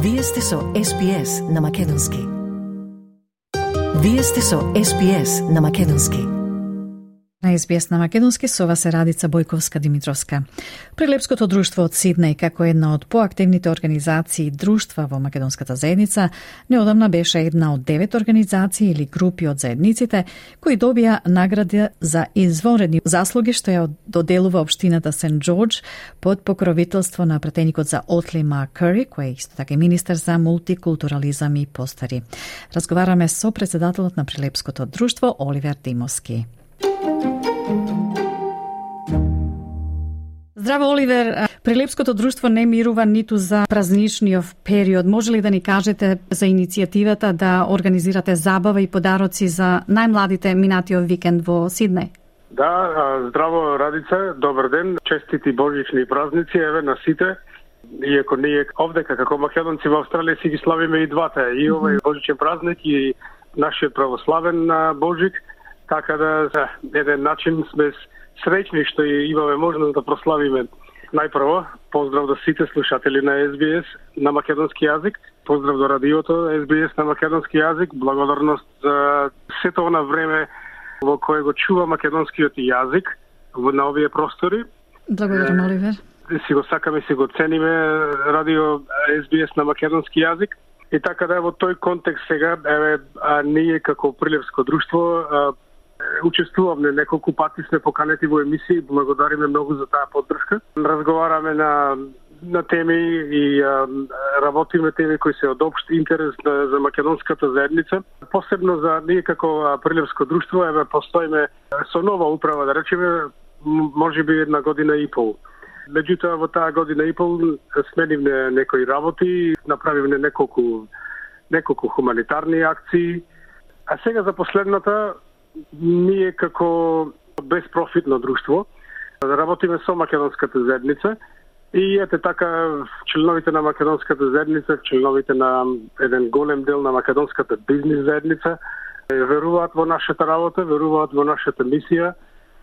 Вие сте со SPS на Македонски. Вие сте со SPS на Македонски. На SBS на Македонски со вас е Радица Бојковска-Димитровска. Прилепското друштво од Сиднеј, како една од поактивните организации друштва во македонската заедница, неодамна беше една од 9 организации или групи од заедниците кои добија награда за извонредни заслуги што ја доделува општината Сент Џорџ под покровителство на пратеникот за Отли Марк Кури, кој е исто така министер за мултикултурализам и постари. Разговараме со председателот на Прилепското друштво Оливер Димовски. Здраво, Оливер. Прилепското друштво не мирува ниту за празничниот период. Може ли да ни кажете за иницијативата да организирате забава и подароци за најмладите минатиот викенд во Сиднеј? Да, здраво, Радица, добар ден, честити божични празници, еве на сите. Иако ние овдека како македонци во Австралија си ги славиме и двата, и овој божичен празник и нашиот православен Божик, така да за еден начин сме среќни што имаме можност да прославиме. Најпрво, поздрав до сите слушатели на SBS на македонски јазик, поздрав до радиото SBS на македонски јазик, благодарност за сето она време во кое го чува македонскиот јазик на овие простори. Благодарам, Оливер. Си го сакаме, си го цениме радио SBS на македонски јазик. И така да во тој контекст сега, ние како Прилепско друштво учествуваме неколку пати, сме поканети во емисии, благодариме многу за таа поддршка. Разговараме на теми и работиме теми кои се од општ интерес за македонската заедница. Посебно за ние како Прилепско друштво, постоиме со нова управа, да речеме, можеби една година и пол. Меѓутоа во таа година и пол сменивме некои работи, направивме неколку хуманитарни акции, а сега за последната ние како безпрофитно друштво работиме со македонската заедница и ете така членовите на македонската заедница, членовите на еден голем дел на македонската бизнис заедница веруваат во нашата работа, веруваат во нашата мисија,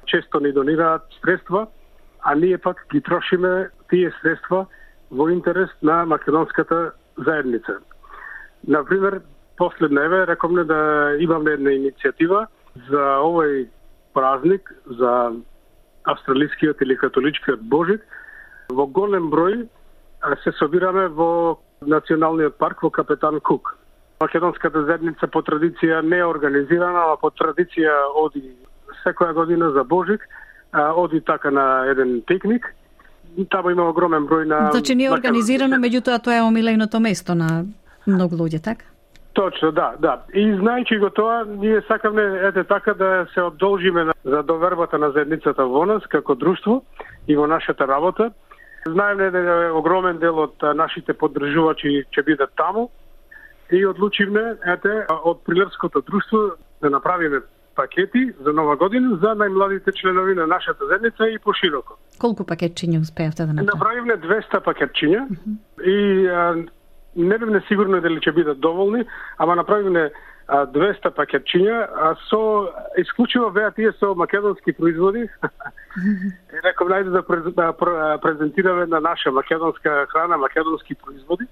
често ни донираат средства, а ние пак ги трошиме тие средства во интерес на македонската заедница. Например, последна рековме да имаме една иницијатива за овој празник, за австралискиот или католичкиот Божик. Во голем број се собираме во Националниот парк во Капетан Кук. Македонската заедница по традиција не е организирана, а по традиција оди секоја година за Божик, оди така на еден пикник. Таму има огромен број на... Значи не е организирано, меѓутоа тоа е омиленото место на многу луѓе, така? Точно, да. И знајќи го тоа, ние сакаме така да се одолжиме за довербата на заедницата во нас како друштво и во нашата работа. Знаеме дека огромен дел од нашите поддржувачи ќе бидат таму и одлучивме од Прилепското друштво да направиме пакети за нова година за најмладите членови на нашата заедница и пошироко. Колку пакетчиња успеавте да направите? Направивме 200 пакетчиња и не бевме сигурни дали ќе бидат доволни, ама направивме 200 пакетчиња, со исклучиво беа тие со македонски производи. И реков најде да презентираме на наша македонска храна, македонски производи.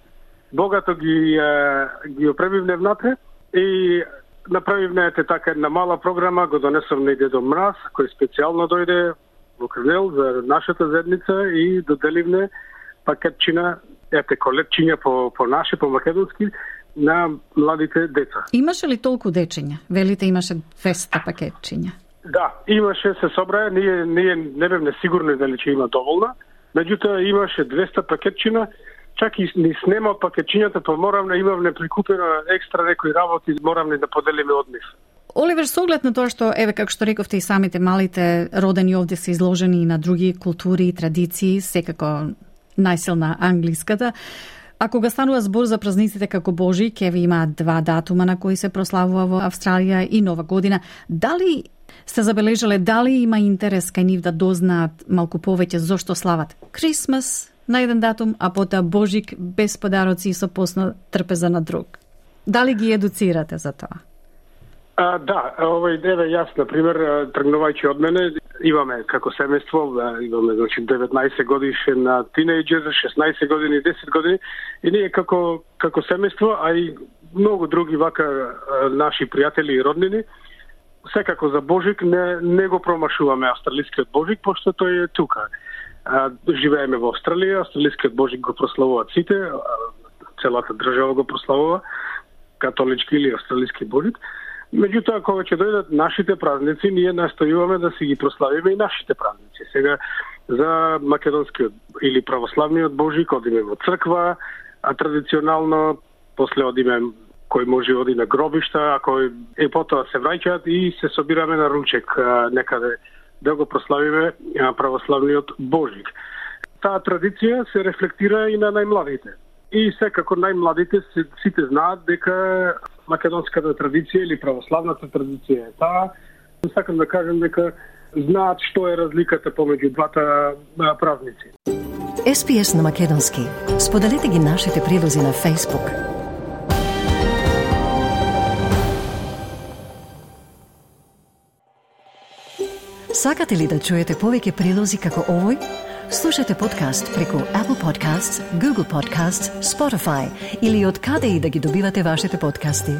Богато ги опремивме внатре и направивме така една мала програма, го донесовме и Дедо Мраз, кој специјално дојде во Крнел за нашата заедница и доделивме пакетчина, колетчиња по наше, по македонски, на младите деца. Имаше ли толку дечиња? Велите имаше 200 пакетчиња. Да, имаше, се собрае, ние не бевме сигурни дали ќе има доволна, меѓутоа имаше 200 пакетчина, чак и ни снема од пакетчињата, па моравме, имавме прикупено екстра некои работи, моравме да поделиме од нив. Оливер, со оглед на тоа што, како што рековте и самите малите родени овде се изложени и на други култури и традиции, секако најсилна англиската. А кога станува збор за празниците како Божи, ќе ви имаат 2 датума на кои се прославува во Австралија и Нова година. Дали сте забележале, дали има интерес кај нив да дознаат малку повеќе зошто слават Крисмас на еден датум, а потоа Божик без подароци и со постна трпеза на друг? Дали ги едуцирате за тоа? Да, јас, например, тргнувајќи од мене, имаме како семејство, имаме 19 годишен тинејџер, 16 години, 10 години, и ние како како семејство, а и многу други вака наши пријатели и роднини. Секако за Божик не го промашуваме австралискиот Божик, пошто тој е тука. Живееме во Австралија, австралискиот Божик го прославуваат сите, целата држава го прославува, католички или австралиски Божик. Меѓутоа, кога ќе дојдат нашите празници, ние настојуваме да си ги прославиме и нашите празници. Сега, за македонскиот или православниот Божик одиме во црква, а традиционално после одиме кој може оди на гробишта, а кој потоа се враќаат и се собираме на ручек некаде да го прославиме православниот Божик. Таа традиција се рефлектира и на најмладите. И секако најмладите сите знаат дека македонската традиција или православната традиција е таа. Сакам да кажем дека знаат што е разликата помеѓу двата празници. SPS на македонски. Споделете ги нашите прилози на Facebook. Сакате ли да чуете повеќе прилози како овој? Слушате подкаст преку Apple Podcasts, Google Podcasts, Spotify или од каде и да ги добивате вашите подкасти.